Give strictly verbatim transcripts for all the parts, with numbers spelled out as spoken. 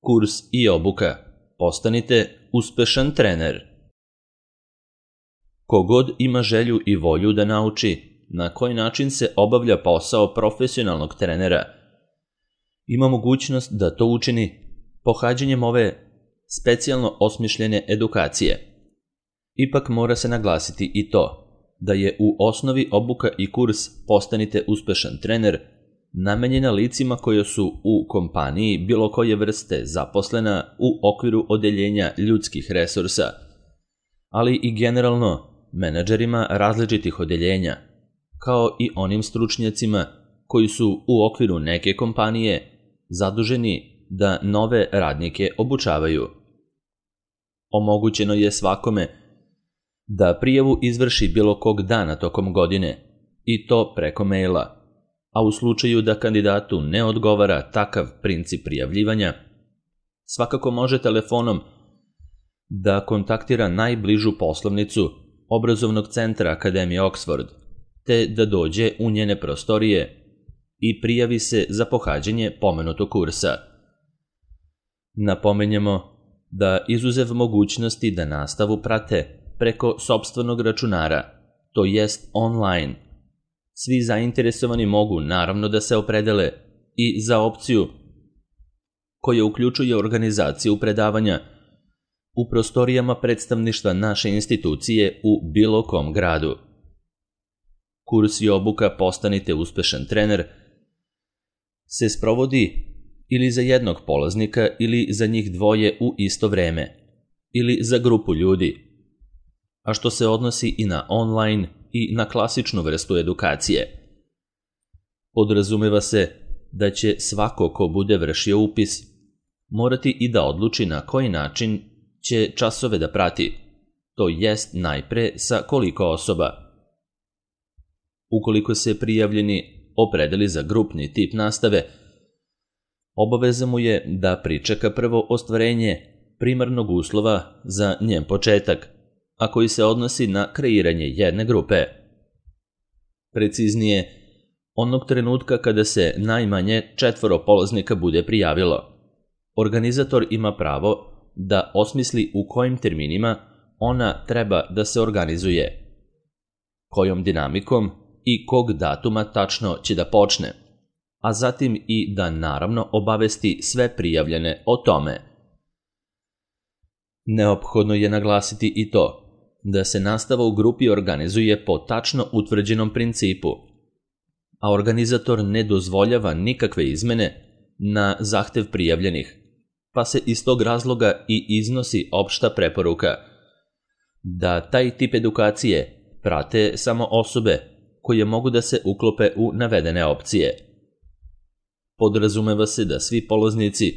Kurs i obuka. Postanite uspešan trener. Kogod ima želju i volju da nauči na koji način se obavlja posao profesionalnog trenera, ima mogućnost da to učini pohađanjem ove specijalno osmišljene edukacije. Ipak mora se naglasiti i to da je u osnovi obuka i kurs Postanite uspešan trener namenjena licima koja su u kompaniji bilo koje vrste zaposlena u okviru odeljenja ljudskih resursa, ali i generalno menadžerima različitih odeljenja, kao i onim stručnjacima koji su u okviru neke kompanije zaduženi da nove radnike obučavaju. Omogućeno je svakome da prijavu izvrši bilo kog dana tokom godine, i to preko maila, a u slučaju da kandidatu ne odgovara takav princip prijavljivanja, svakako može telefonom da kontaktira najbližu poslovnicu obrazovnog centra Akademije Oxford, te da dođe u njene prostorije i prijavi se za pohađanje pomenutog kursa. Napomenjemo da izuzev mogućnosti da nastavu prate preko sopstvenog računara, to jest online, svi zainteresovani mogu naravno da se opredele i za opciju koja uključuje organizaciju predavanja u prostorijama predstavništva naše institucije u bilo kom gradu. Kurs i obuka Postanite uspešan trener se sprovodi ili za jednog polaznika ili za njih dvoje u isto vreme, ili za grupu ljudi, a što se odnosi i na online i na klasičnu vrstu edukacije. Podrazumeva se da će svako ko bude vršio upis morati i da odluči na koji način će časove da prati, to jest najpre sa koliko osoba. Ukoliko se prijavljeni opredeli za grupni tip nastave, obaveza mu je da pričeka prvo ostvarenje primarnog uslova za njen početak, a koji se odnosi na kreiranje jedne grupe. Preciznije, onog trenutka kada se najmanje četvoro polaznika bude prijavilo, organizator ima pravo da osmisli u kojim terminima ona treba da se organizuje, kojom dinamikom i kog datuma tačno će da počne, a zatim i da naravno obavesti sve prijavljene o tome. Neophodno je naglasiti i to da se nastava u grupi organizuje po tačno utvrđenom principu, a organizator ne dozvoljava nikakve izmene na zahtev prijavljenih, pa se iz tog razloga i iznosi opšta preporuka da taj tip edukacije prate samo osobe koje mogu da se uklope u navedene opcije. Podrazumeva se da svi polaznici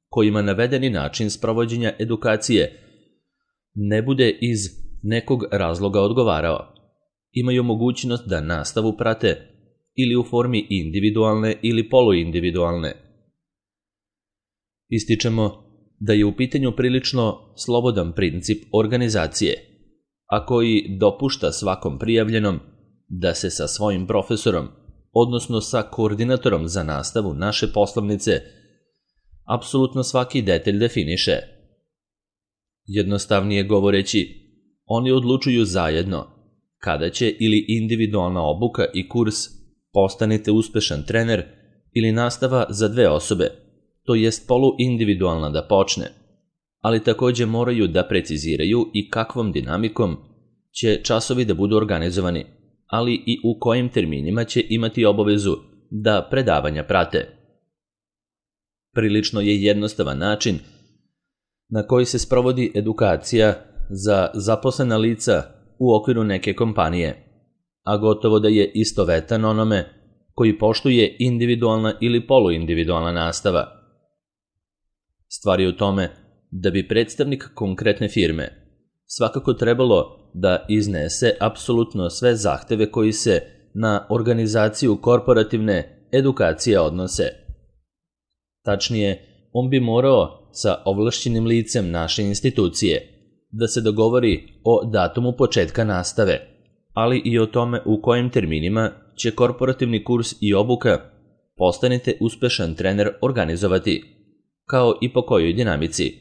kojima navedeni način sprovođenja edukacije ne bude iz nekog razloga odgovarao, imaju mogućnost da nastavu prate ili u formi individualne ili poluindividualne. Ističemo da je u pitanju prilično slobodan princip organizacije, a koji dopušta svakom prijavljenom da se sa svojim profesorom, odnosno sa koordinatorom za nastavu naše poslovnice, apsolutno svaki detalj definiše. Jednostavnije govoreći, oni odlučuju zajedno kada će ili individualna obuka i kurs Postanite uspešan trener ili nastava za dve osobe, to jest poluindividualna da počne, ali takođe moraju da preciziraju i kakvom dinamikom će časovi da budu organizovani, ali i u kojim terminima će imati obavezu da predavanja prate. Prilično je jednostavan način na koji se sprovodi edukacija za zaposlena lica u okviru neke kompanije, a gotovo da je istovetan onome koji poštuje individualna ili poluindividualna nastava. Stvar je u tome da bi predstavnik konkretne firme svakako trebalo da iznese apsolutno sve zahteve koji se na organizaciju korporativne edukacije odnose. Tačnije, on bi morao sa ovlašćenim licem naše institucije da se dogovori o datumu početka nastave, ali i o tome u kojim terminima će korporativni kurs i obuka Postanite uspešan trener organizovati, kao i po kojoj dinamici.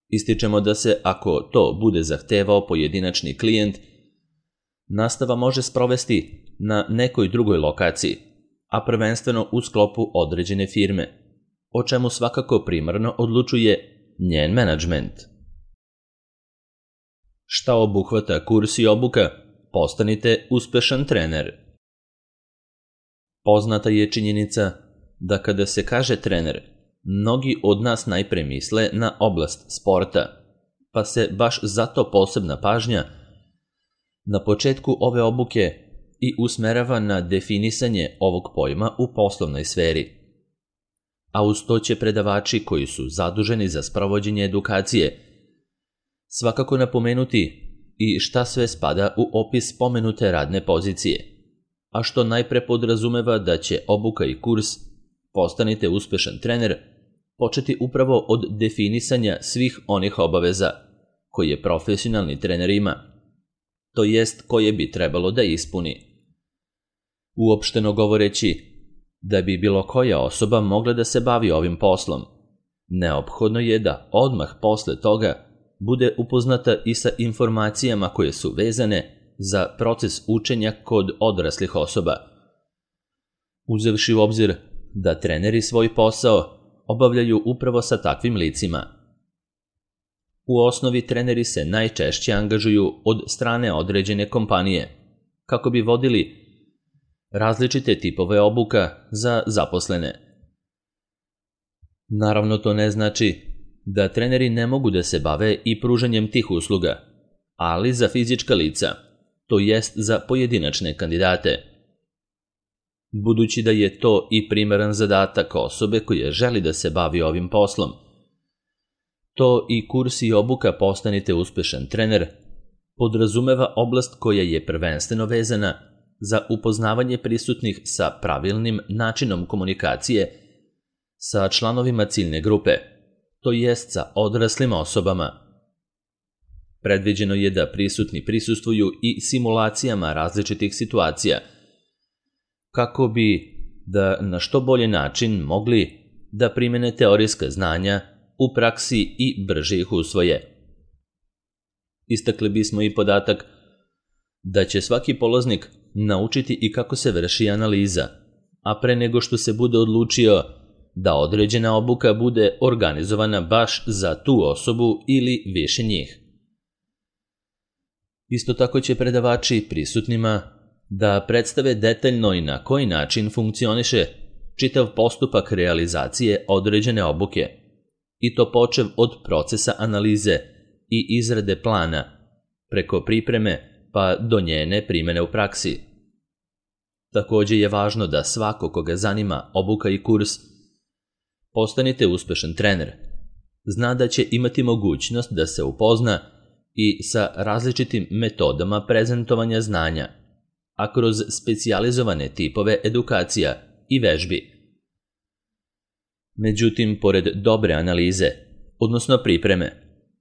Ističemo da se, ako to bude zahtevao pojedinačni klijent, nastava može sprovesti na nekoj drugoj lokaciji, a prvenstveno u sklopu određene firme, o čemu svakako primarno odlučuje njen menadžment. Šta obuhvata kurs i obuka? Postanite uspešan trener. Poznata je činjenica da kada se kaže trener, mnogi od nas najpre misle na oblast sporta, pa se baš zato posebna pažnja na početku ove obuke i usmerava na definisanje ovog pojma u poslovnoj sferi. A uz to će predavači koji su zaduženi za sprovođenje edukacije svakako napomenuti i šta sve spada u opis spomenute radne pozicije, a što najpre podrazumeva da će obuka i kurs Postanite uspešan trener početi upravo od definisanja svih onih obaveza koje profesionalni trener ima, to jest koje bi trebalo da ispuni. Uopšteno govoreći, da bi bilo koja osoba mogla da se bavi ovim poslom, neophodno je da odmah posle toga bude upoznata i sa informacijama koje su vezane za proces učenja kod odraslih osoba, uzevši u obzir da treneri svoj posao obavljaju upravo sa takvim licima. U osnovi treneri se najčešće angažuju od strane određene kompanije kako bi vodili različite tipove obuka za zaposlene. Naravno, to ne znači da treneri ne mogu da se bave i pružanjem tih usluga, ali za fizička lica, to jest za pojedinačne kandidate. Budući da je to i primaran zadatak osobe koja želi da se bavi ovim poslom, to i kurs i obuka Postanite uspešan trener podrazumeva oblast koja je prvenstveno vezana za upoznavanje prisutnih sa pravilnim načinom komunikacije sa članovima ciljne grupe, to jest sa odraslim osobama. Predviđeno je da prisutni prisustvuju i simulacijama različitih situacija, kako bi da na što bolji način mogli da primene teorijska znanja u praksi i brže ih usvoje. Istakli bismo i podatak da će svaki polaznik naučiti i kako se vrši analiza, a pre nego što se bude odlučio da određena obuka bude organizovana baš za tu osobu ili više njih. Isto tako će predavači prisutnima da predstave detaljno i na koji način funkcioniše čitav postupak realizacije određene obuke, i to počev od procesa analize i izrade plana, preko pripreme pa do njene primene u praksi. Takođe je važno da svako koga zanima obuka i kurs Postanite uspešan trener zna da će imati mogućnost da se upozna i sa različitim metodama prezentovanja znanja, a kroz specijalizovane tipove edukacija i vežbi. Međutim, pored dobre analize, odnosno pripreme,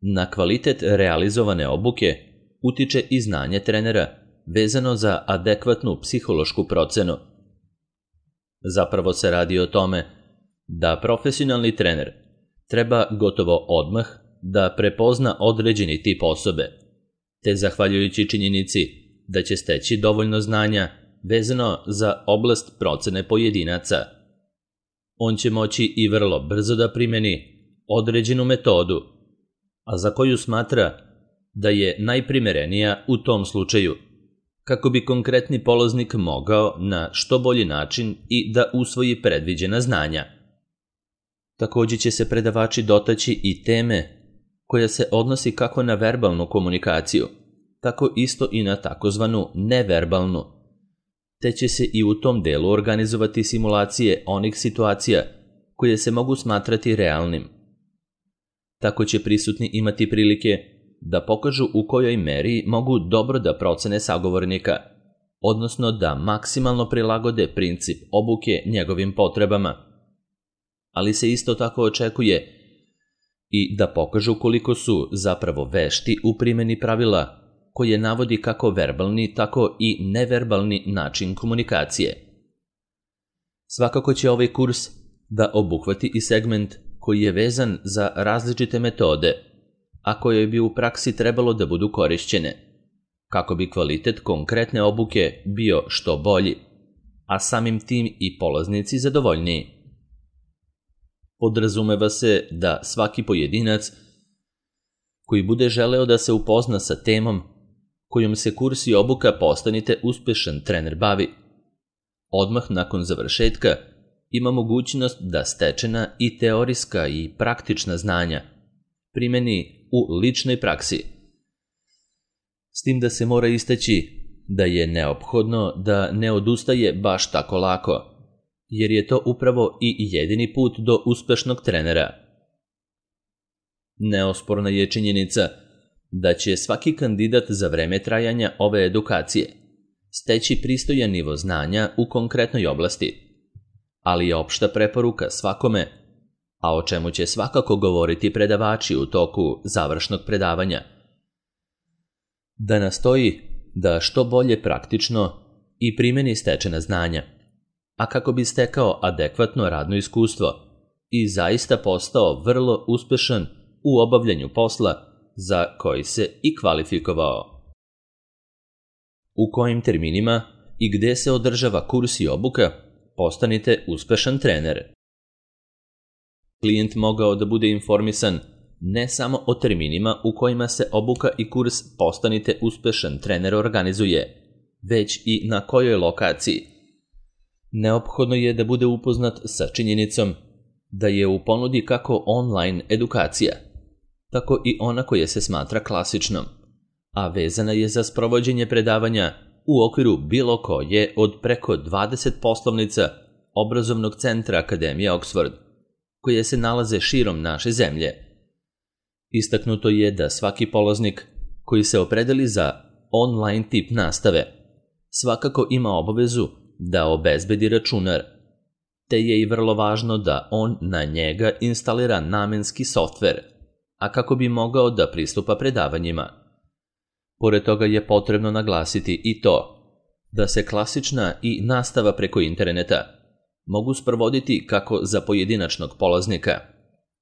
na kvalitet realizovane obuke utiče i znanje trenera vezano za adekvatnu psihološku procenu. Zapravo se radi o tome da profesionalni trener treba gotovo odmah da prepozna određeni tip osobe, te zahvaljujući činjenici da će steći dovoljno znanja vezano za oblast procene pojedinaca, on će moći i vrlo brzo da primeni određenu metodu, a za koju smatra da je najprimerenija u tom slučaju, kako bi konkretni polaznik mogao na što bolji način i da usvoji predviđena znanja. Takođe će se predavači dotaći i teme koja se odnosi kako na verbalnu komunikaciju, tako isto i na takozvanu neverbalnu, te će se i u tom delu organizovati simulacije onih situacija koje se mogu smatrati realnim. Tako će prisutni imati prilike da pokažu u kojoj meri mogu dobro da procene sagovornika, odnosno da maksimalno prilagode princip obuke njegovim potrebama. Ali se isto tako očekuje i da pokažu koliko su zapravo vešti u primjeni pravila koje navodi kako verbalni, tako i neverbalni način komunikacije. Svakako će ovaj kurs da obuhvati i segment koji je vezan za različite metode, a koje bi u praksi trebalo da budu korišćene, kako bi kvalitet konkretne obuke bio što bolji, a samim tim i polaznici zadovoljniji. Podrazumeva se da svaki pojedinac koji bude želeo da se upozna sa temom kojom se kurs i obuka Postanite uspešan trener bavi, odmah nakon završetka ima mogućnost da stečena i teorijska i praktična znanja primeni u ličnoj praksi. S tim da se mora istaći da je neophodno da ne odustaje baš tako lako, jer je to upravo i jedini put do uspešnog trenera. Neosporna je činjenica da će svaki kandidat za vreme trajanja ove edukacije steći pristojan nivo znanja u konkretnoj oblasti, ali je opšta preporuka svakome, a o čemu će svakako govoriti predavači u toku završnog predavanja, da nastoji da što bolje praktično i primeni stečena znanja, a kako bi stekao adekvatno radno iskustvo i zaista postao vrlo uspešan u obavljanju posla za koji se i kvalifikovao. U kojim terminima i gde se održava kurs i obuka Postanite uspešan trener? Klijent mogao da bude informisan ne samo o terminima u kojima se obuka i kurs Postanite uspešan trener organizuje, već i na kojoj lokaciji. Neophodno je da bude upoznat sa činjenicom da je u ponudi kako online edukacija, tako i ona koja se smatra klasičnom, a vezana je za sprovođenje predavanja u okviru bilo koje od preko dvadeset poslovnica obrazovnog centra Akademije Oxford, koje se nalaze širom naše zemlje. Istaknuto je da svaki polaznik koji se opredeli za online tip nastave svakako ima obavezu da obezbedi računar, te je i vrlo važno da on na njega instalira namenski softver, a kako bi mogao da pristupa predavanjima. Pored toga je potrebno naglasiti i to da se klasična i nastava preko interneta mogu sprovoditi kako za pojedinačnog polaznika,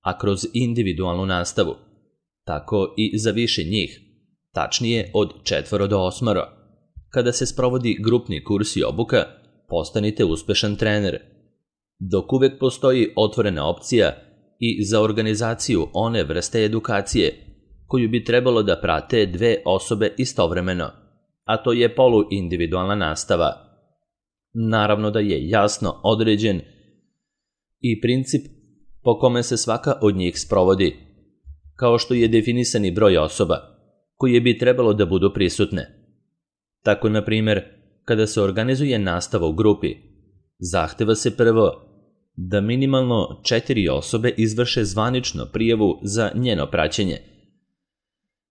a kroz individualnu nastavu, tako i za više njih, tačnije od četvoro do osmoro, kada se sprovodi grupni kurs i obuka Postanite uspešan trener, dok uvek postoji otvorena opcija i za organizaciju one vrste edukacije koju bi trebalo da prate dve osobe istovremeno, a to je poluindividualna nastava. Naravno da je jasno određen i princip po kome se svaka od njih sprovodi, kao što je definisani broj osoba koje bi trebalo da budu prisutne. Tako, na primjer, kada se organizuje nastava u grupi, zahteva se prvo da minimalno četiri osobe izvrše zvanično prijavu za njeno praćenje,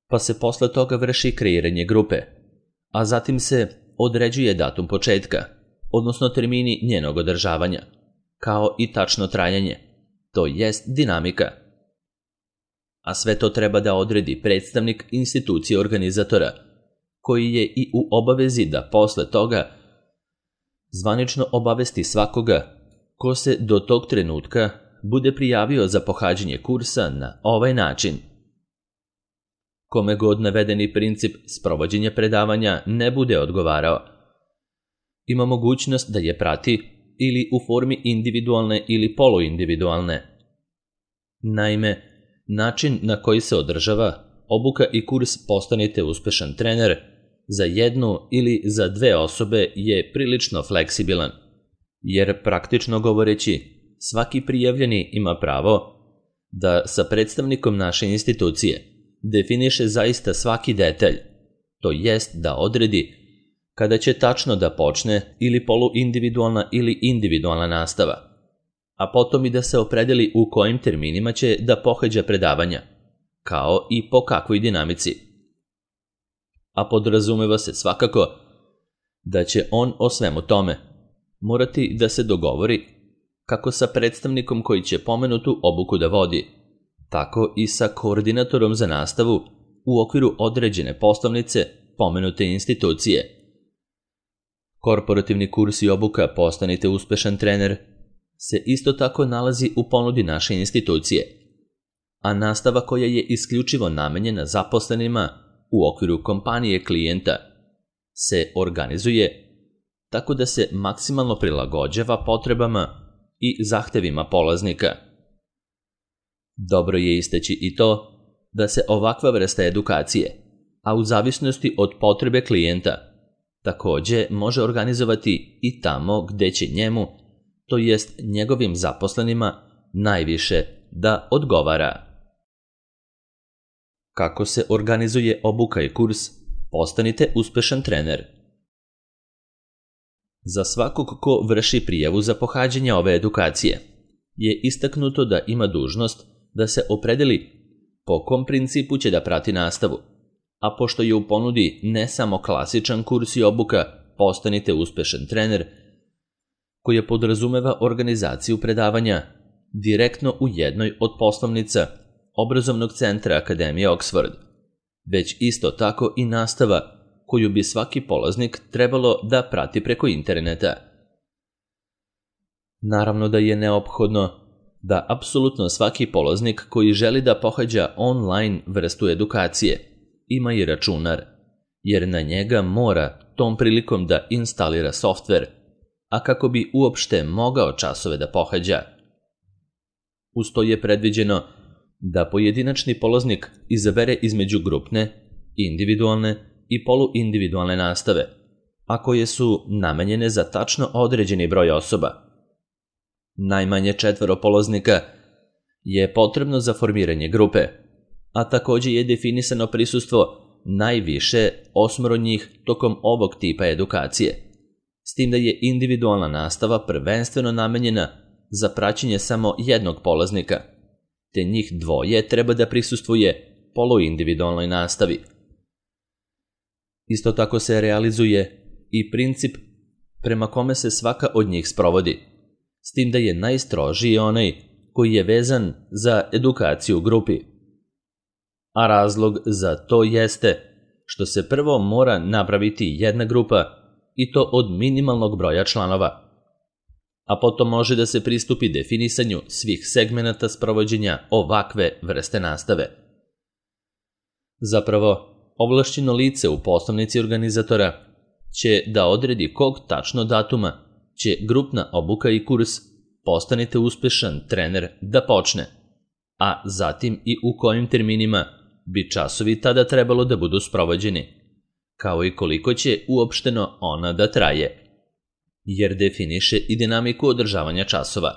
pa se posle toga vrši kreiranje grupe, a zatim se određuje datum početka, odnosno termini njenog održavanja, kao i tačno trajanje, to jest dinamika. A sve to treba da odredi predstavnik institucije organizatora, koji je i u obavezi da posle toga zvanično obavesti svakoga ko se do tog trenutka bude prijavio za pohađanje kursa na ovaj način. Kome god navedeni princip sprovođenja predavanja ne bude odgovarao, ima mogućnost da je prati ili u formi individualne ili poluindividualne. Naime, način na koji se održava obuka i kurs Postanite uspešan trener za jednu ili za dve osobe je prilično fleksibilan, jer praktično govoreći, svaki prijavljeni ima pravo da sa predstavnikom naše institucije definiše zaista svaki detalj, to jest da odredi kada će tačno da počne ili poluindividualna ili individualna nastava, a potom i da se opredeli u kojim terminima će da pohađa predavanja, kao i po kakvoj dinamici. A podrazumeva se svakako da će on o svemu tome morati da se dogovori kako sa predstavnikom koji će pomenutu obuku da vodi, tako i sa koordinatorom za nastavu u okviru određene poslovnice pomenute institucije. Korporativni kurs i obuka Postanite uspešan trener se isto tako nalazi u ponudi naše institucije, a nastava koja je isključivo namenjena zaposlenima u okviru kompanije klijenta se organizuje tako da se maksimalno prilagođava potrebama i zahtevima polaznika. Dobro je istaći i to da se ovakva vrsta edukacije, a u zavisnosti od potrebe klijenta, takođe može organizovati i tamo gde će njemu, to jest njegovim zaposlenima, najviše da odgovara. Kako se organizuje obuka i kurs Postanite uspešan trener? Za svakog ko vrši prijavu za pohađanje ove edukacije je istaknuto da ima dužnost da se opredeli po kom principu će da prati nastavu, a pošto je u ponudi ne samo klasičan kurs i obuka Postanite uspešan trener, koja podrazumeva organizaciju predavanja direktno u jednoj od poslovnica obrazovnog centra Akademije Oxford, već isto tako i nastava koju bi svaki polaznik trebalo da prati preko interneta. Naravno da je neophodno da apsolutno svaki polaznik koji želi da pohađa online vrstu edukacije ima i računar, jer na njega mora tom prilikom da instalira softver, a kako bi uopšte mogao časove da pohađa. Uz to je predviđeno da pojedinačni polaznik izabere između grupne, individualne i poluindividualne nastave, a koje su namenjene za tačno određeni broj osoba. Najmanje četvoro polaznika je potrebno za formiranje grupe, a takođe je definisano prisustvo najviše osmoro njih tokom ovog tipa edukacije, s tim da je individualna nastava prvenstveno namenjena za praćenje samo jednog polaznika, te njih dvoje treba da prisustvuje poluindividualnoj nastavi. Isto tako se realizuje i princip prema kome se svaka od njih sprovodi, s tim da je najstrožiji onaj koji je vezan za edukaciju u grupi. A razlog za to jeste što se prvo mora napraviti jedna grupa i to od minimalnog broja članova, a potom može da se pristupi definisanju svih segmenata sprovođenja ovakve vrste nastave. Zapravo, ovlašćeno lice u poslovnici organizatora će da odredi kog tačno datuma će grupna obuka i kurs Postanite uspešan trener da počne, a zatim i u kojim terminima bi časovi tada trebalo da budu sprovođeni, kao i koliko će uopšteno ona da traje, jer definiše i dinamiku održavanja časova.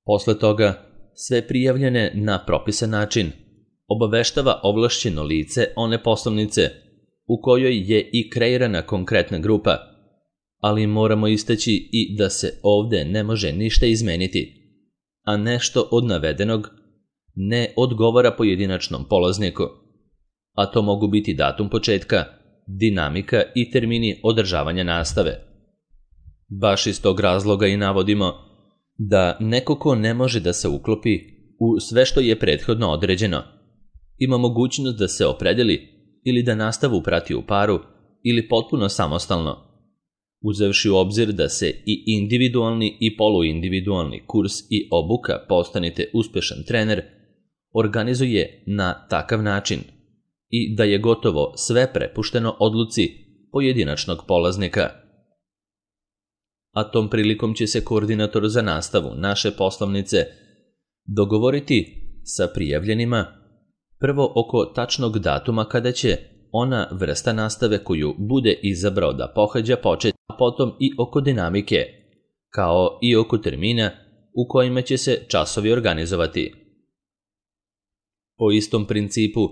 Posle toga, sve prijavljene na propisan način obaveštava ovlašćeno lice one poslovnice u kojoj je i kreirana konkretna grupa, ali moramo istaći i da se ovde ne može ništa izmeniti, a nešto od navedenog ne odgovara pojedinačnom polazniku, a to mogu biti datum početka, dinamika i termini održavanja nastave. Baš iz tog razloga i navodimo da neko ko ne može da se uklopi u sve što je prethodno određeno, ima mogućnost da se opredeli ili da nastavu prati u paru ili potpuno samostalno, uzevši u obzir da se i individualni i poluindividualni kurs i obuka Postanite uspešan trener organizuje na takav način i da je gotovo sve prepušteno odluci pojedinačnog polaznika. A tom prilikom će se koordinator za nastavu naše poslovnice dogovoriti sa prijavljenima prvo oko tačnog datuma kada će ona vrsta nastave koju bude izabrao da pohađa početi, a potom i oko dinamike, kao i oko termina u kojima će se časovi organizovati. Po istom principu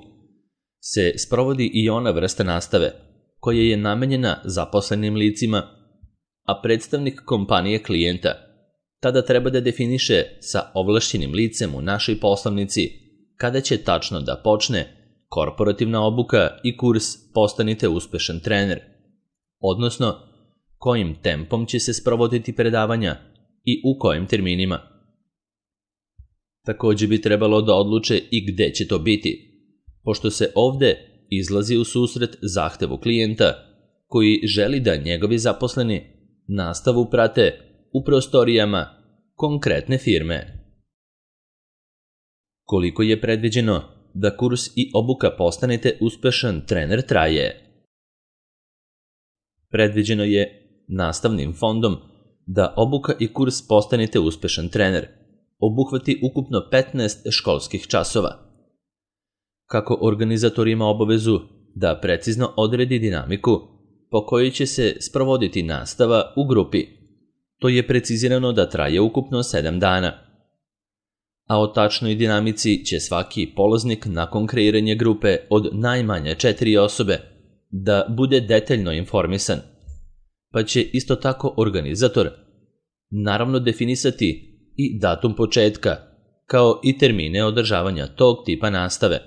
se sprovodi i ona vrsta nastave koja je namenjena zaposlenim licima, a predstavnik kompanije klijenta tada treba da definiše sa ovlašćenim licem u našoj poslovnici kada će tačno da počne korporativna obuka i kurs Postanite uspešan trener, odnosno kojim tempom će se sprovoditi predavanja i u kojim terminima. Takođe bi trebalo da odluče i gde će to biti, pošto se ovde izlazi u susret zahtevu klijenta koji želi da njegovi zaposleni nastavu prate u prostorijama konkretne firme. Koliko je predviđeno da kurs i obuka postanete uspešan trener traje? Predviđeno je nastavnim fondom da obuka i kurs postanete uspešan trener obuhvati ukupno petnaest školskih časova. Kako organizator ima obavezu da precizno odredi dinamiku po kojoj će se sprovoditi nastava u grupi, to je precizirano da traje ukupno sedam dana. A o tačnoj dinamici će svaki polaznik nakon kreiranja grupe od najmanje četiri osobe da bude detaljno informisan, pa će isto tako organizator naravno definisati i datum početka, kao i termine održavanja tog tipa nastave.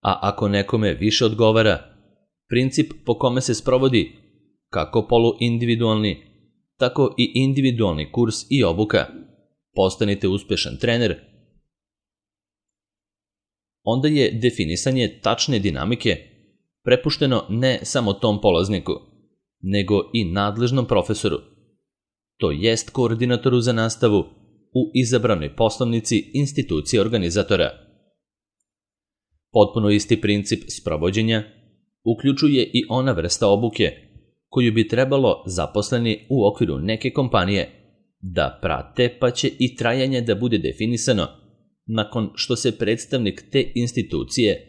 A ako nekome više odgovara, princip po kome se sprovodi kako poluindividualni, tako i individualni kurs i obuka, postanite uspešan trener, onda je definisanje tačne dinamike prepušteno ne samo tom polazniku, nego i nadležnom profesoru, to jest koordinatoru za nastavu u izabranoj poslovnici institucije organizatora. Potpuno isti princip sprovođenja uključuje i ona vrsta obuke koju bi trebalo zaposleni u okviru neke kompanije da prate, pa će i trajanje da bude definisano nakon što se predstavnik te institucije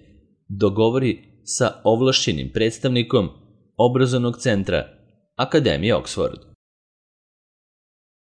dogovori sa ovlašćenim predstavnikom obrazovnog centra Akademije Oxford.